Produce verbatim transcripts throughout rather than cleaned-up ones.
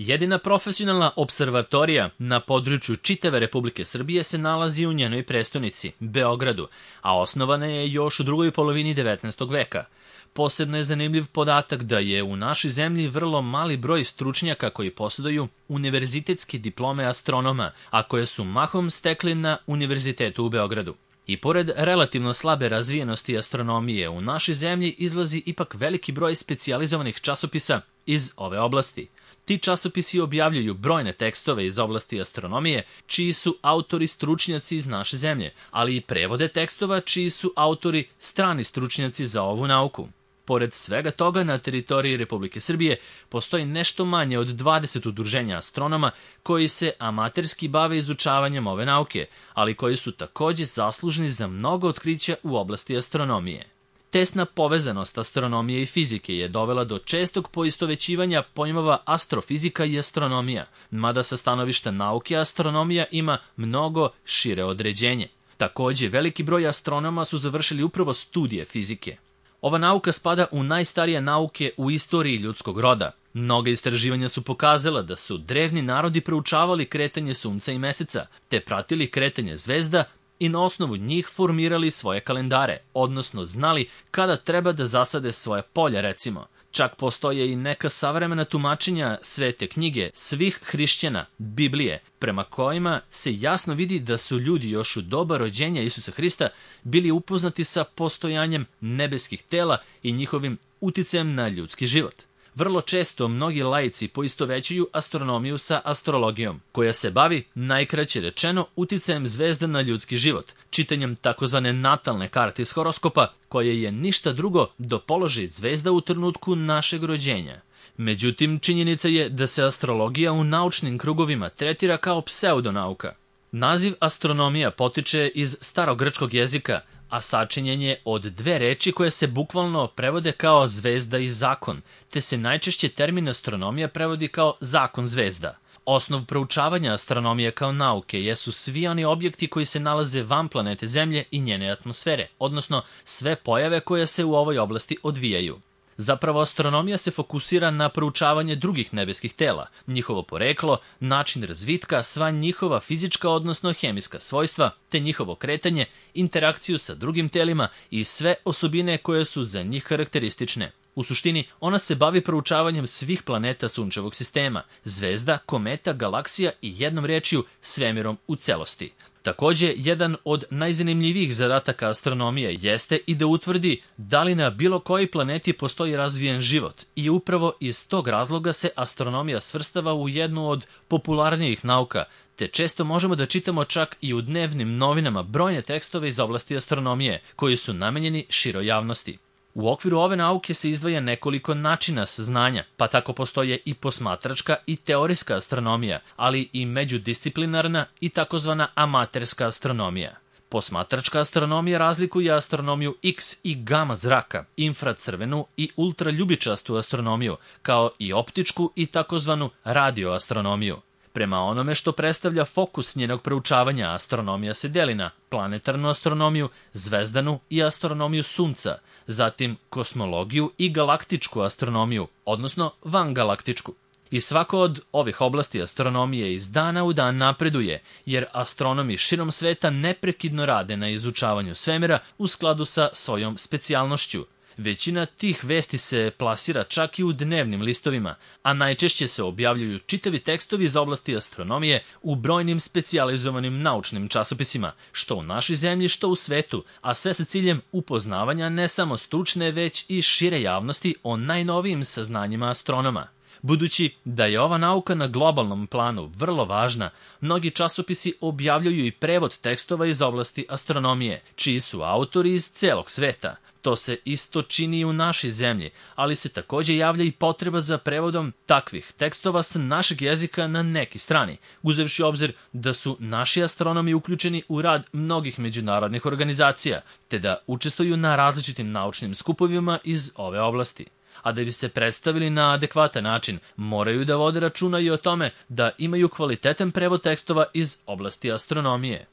Jedina profesionalna observatorija na području čitave Republike Srbije se nalazi u njenoj prestonici, Beogradu, a osnovana je još u drugoj polovini devetnaestog veka. Posebno je zanimljiv podatak da je u našoj zemlji vrlo mali broj stručnjaka koji posjeduju univerzitetske diplome astronoma, a koje su mahom stekli na Univerzitetu u Beogradu. I pored relativno slabe razvijenosti astronomije, u našoj zemlji izlazi ipak veliki broj specijalizovanih časopisa iz ove oblasti. Ti časopisi objavljuju brojne tekstove iz oblasti astronomije, čiji su autori stručnjaci iz naše zemlje, ali i prevode tekstova čiji su autori strani stručnjaci za ovu nauku. Pored svega toga, na teritoriji Republike Srbije postoji nešto manje od dvadeset udruženja astronoma koji se amaterski bave izučavanjem ove nauke, ali koji su takođe zaslužni za mnogo otkrića u oblasti astronomije. Tesna povezanost astronomije i fizike je dovela do čestog poistovećivanja pojmova astrofizika i astronomija, mada sa stanovišta nauke astronomija ima mnogo šire određenje. Takođe, veliki broj astronoma su završili upravo studije fizike. Ova nauka spada u najstarije nauke u istoriji ljudskog roda. Mnoga istraživanja su pokazala da su drevni narodi proučavali kretanje sunca i meseca, te pratili kretanje zvezda i na osnovu njih formirali svoje kalendare, odnosno znali kada treba da zasade svoje polja, recimo. Čak postoje i neka savremena tumačenja Svete knjige svih hrišćana, Biblije, prema kojima se jasno vidi da su ljudi još u doba rođenja Isusa Hrista bili upoznati sa postojanjem nebeskih tela i njihovim uticajem na ljudski život. Vrlo često mnogi laici poistovećuju astronomiju sa astrologijom, koja se bavi, najkraće rečeno, uticajem zvezda na ljudski život, čitanjem takozvane natalne karte iz horoskopa, koje je ništa drugo do položaj zvezda u trenutku našeg rođenja. Međutim, činjenica je da se astrologija u naučnim krugovima tretira kao pseudonauka. Naziv astronomija potiče iz starogrčkog jezika, a sačinjen je od dve reči koje se bukvalno prevode kao zvezda i zakon, te se najčešće termin astronomija prevodi kao zakon zvezda. Osnov proučavanja astronomije kao nauke jesu svi oni objekti koji se nalaze van planete Zemlje i njene atmosfere, odnosno sve pojave koje se u ovoj oblasti odvijaju. Zapravo, astronomija se fokusira na proučavanje drugih nebeskih tela, njihovo poreklo, način razvitka, sva njihova fizička odnosno hemijska svojstva, te njihovo kretanje, interakciju sa drugim telima i sve osobine koje su za njih karakteristične. U suštini, ona se bavi proučavanjem svih planeta sunčevog sistema, zvezda, kometa, galaksija i jednom rečju svemirom u celosti. Takođe, jedan od najzanimljivijih zadataka astronomije jeste i da utvrdi da li na bilo kojoj planeti postoji razvijen život i upravo iz tog razloga se astronomija svrstava u jednu od popularnijih nauka, te često možemo da čitamo čak i u dnevnim novinama brojne tekstove iz oblasti astronomije koji su namenjeni široj javnosti. U okviru ove nauke se izdvaja nekoliko načina saznanja, pa tako postoje i posmatračka i teorijska astronomija, ali i međudisciplinarna i takozvana amaterska astronomija. Posmatračka astronomija razlikuje astronomiju X i gama zraka, infracrvenu i ultraljubičastu astronomiju, kao i optičku i takozvanu radioastronomiju. Prema onome što predstavlja fokus njenog proučavanja, astronomija se deli na planetarnu astronomiju, zvezdanu i astronomiju Sunca, zatim kosmologiju i galaktičku astronomiju, odnosno vangalaktičku. I svako od ovih oblasti astronomije iz dana u dan napreduje, jer astronomi širom sveta neprekidno rade na izučavanju svemira u skladu sa svojom specijalnošću. Većina tih vesti se plasira čak i u dnevnim listovima, a najčešće se objavljuju čitavi tekstovi iz oblasti astronomije u brojnim specijalizovanim naučnim časopisima, što u našoj zemlji, što u svetu, a sve sa ciljem upoznavanja ne samo stručne, već i šire javnosti o najnovijim saznanjima astronoma. Budući da je ova nauka na globalnom planu vrlo važna, mnogi časopisi objavljuju i prevod tekstova iz oblasti astronomije, čiji su autori iz celog sveta. To se isto čini i u našoj zemlji, ali se takođe javlja i potreba za prevodom takvih tekstova sa našeg jezika na neki strani, uzevši obzir da su naši astronomi uključeni u rad mnogih međunarodnih organizacija, te da učestvuju na različitim naučnim skupovima iz ove oblasti. A da bi se predstavili na adekvatan način, moraju da vode računa i o tome da imaju kvalitetan prevod tekstova iz oblasti astronomije.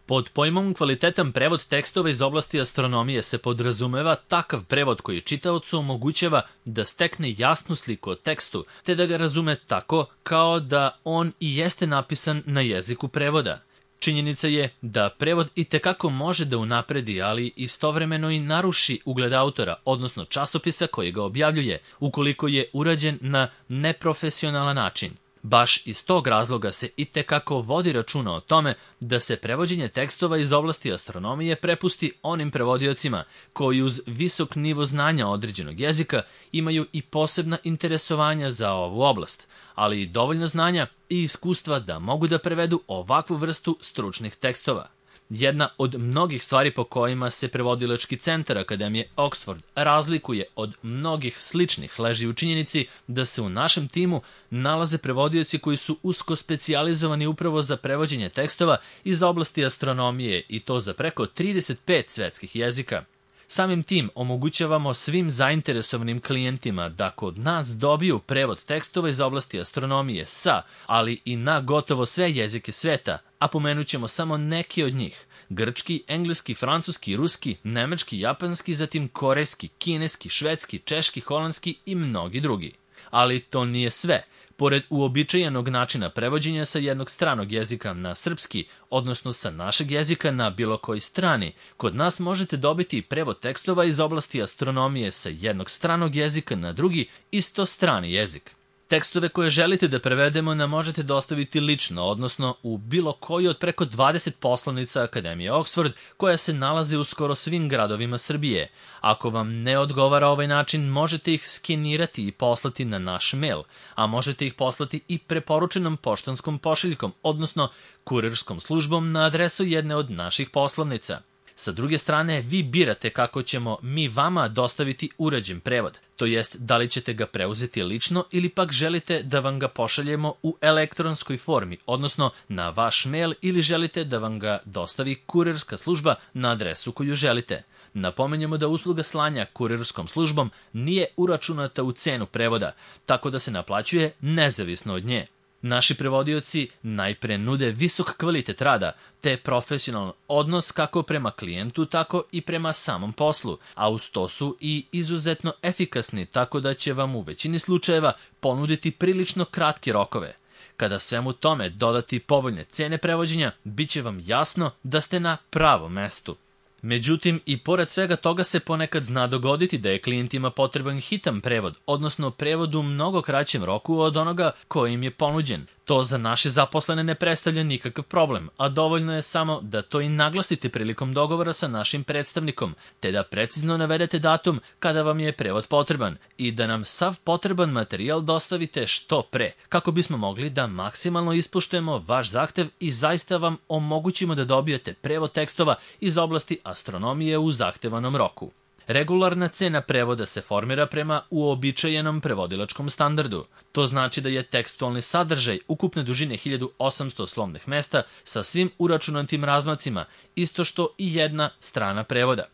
Pod pojmom kvalitetan prevod tekstova iz oblasti astronomije se podrazumeva takav prevod koji čitaocu omogućava da stekne jasnu sliku o tekstu, te da ga razume tako kao da on i jeste napisan na jeziku prevoda. Činjenica je da prevod itekako može da unapredi, ali istovremeno i naruši ugled autora, odnosno časopisa koji ga objavljuje, ukoliko je urađen na neprofesionalan način. Baš iz tog razloga se itekako vodi računa o tome da se prevođenje tekstova iz oblasti astronomije prepusti onim prevodiocima koji uz visok nivo znanja određenog jezika imaju i posebna interesovanja za ovu oblast, ali i dovoljno znanja i iskustva da mogu da prevedu ovakvu vrstu stručnih tekstova. Jedna od mnogih stvari po kojima se prevodilački centar Akademije Oxford razlikuje od mnogih sličnih leži u činjenici da se u našem timu nalaze prevodioci koji su usko specijalizovani upravo za prevođenje tekstova iz oblasti astronomije i to za preko trideset pet svetskih jezika. Samim tim omogućavamo svim zainteresovanim klijentima da kod nas dobiju prevod tekstova iz oblasti astronomije sa, ali i na gotovo sve jezike sveta, a pomenut ćemo samo neki od njih: grčki, engleski, francuski, ruski, nemački, japanski, zatim korejski, kineski, švedski, češki, holandski i mnogi drugi. Ali to nije sve. Pored uobičajenog načina prevođenja sa jednog stranog jezika na srpski, odnosno sa našeg jezika na bilo koji strani, kod nas možete dobiti prevod tekstova iz oblasti astronomije sa jednog stranog jezika na drugi, isto strani jezik. Tekstove koje želite da prevedemo nam možete dostaviti lično, odnosno u bilo koji od preko dvadeset poslovnica Akademije Oxford, koja se nalaze u skoro svim gradovima Srbije. Ako vam ne odgovara ovaj način, možete ih skenirati i poslati na naš mail, a možete ih poslati i preporučenom poštanskom pošiljkom, odnosno kurirskom službom na adresu jedne od naših poslovnica. Sa druge strane, vi birate kako ćemo mi vama dostaviti urađen prevod, to jest da li ćete ga preuzeti lično ili pak želite da vam ga pošaljemo u elektronskoj formi, odnosno na vaš mail, ili želite da vam ga dostavi kurirska služba na adresu koju želite. Napominjemo da usluga slanja kurirskom službom nije uračunata u cenu prevoda, tako da se naplaćuje nezavisno od nje. Naši prevodioci najpre nude visok kvalitet rada, te profesionalan odnos kako prema klijentu, tako i prema samom poslu, a uz to su i izuzetno efikasni, tako da će vam u većini slučajeva ponuditi prilično kratke rokove. Kada svemu tome dodati povoljne cene prevođenja, bit će vam jasno da ste na pravom mestu. Međutim, i pored svega toga se ponekad zna dogoditi da je klijentima potreban hitan prevod, odnosno prevod u mnogo kraćem roku od onoga koji im je ponuđen. To za naše zaposlene ne predstavlja nikakav problem, a dovoljno je samo da to i naglasite prilikom dogovora sa našim predstavnikom, te da precizno navedete datum kada vam je prevod potreban i da nam sav potreban materijal dostavite što pre, kako bismo mogli da maksimalno ispoštujemo vaš zahtev i zaista vam omogućimo da dobijete prevod tekstova iz oblasti astronomije u zahtevanom roku. Regularna cena prevoda se formira prema uobičajenom prevodilačkom standardu. To znači da je tekstualni sadržaj ukupne dužine hiljadu osamsto slovnih mesta sa svim uračunatim razmacima, isto što i jedna strana prevoda.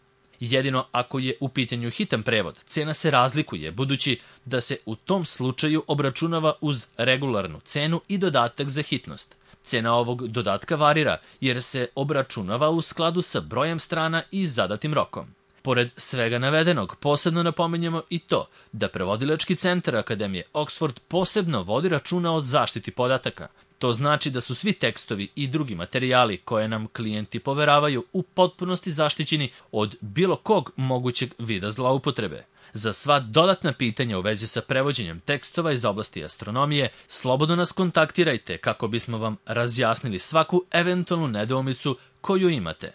Jedino ako je u pitanju hitan prevod, cena se razlikuje, budući da se u tom slučaju obračunava uz regularnu cenu i dodatak za hitnost. Cena ovog dodatka varira, jer se obračunava u skladu sa brojem strana i zadatim rokom. Pored svega navedenog, posebno napominjemo i to da prevodilački centar Akademije Oxford posebno vodi računa o zaštiti podataka. To znači da su svi tekstovi i drugi materijali koje nam klijenti poveravaju u potpunosti zaštićeni od bilo kog mogućeg vida zloupotrebe. Za sva dodatna pitanja u vezi sa prevođenjem tekstova iz oblasti astronomije, slobodno nas kontaktirajte kako bismo vam razjasnili svaku eventualnu nedoumicu koju imate.